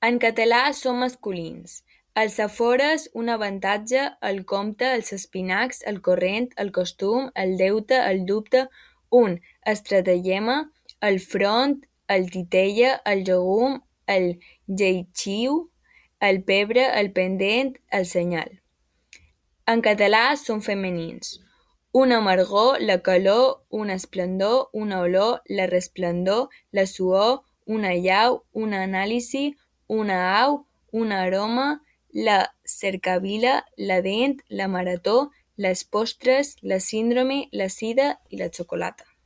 En català són masculins. Els afores, un avantatge, el compte, els espinacs, el corrent, el costum, el deute, el dubte, un estratagema, el front, el titella, el llegum, el lleixiu, el pebre, el pendent, el senyal. En català són femenins. Una amargor, la calor, un esplendor, una olor, la resplendor, la suor, una llau, una anàlisi, una au, un aroma, la cercavila, la dent, la marató, les postres, la síndrome, la sida i la xocolata.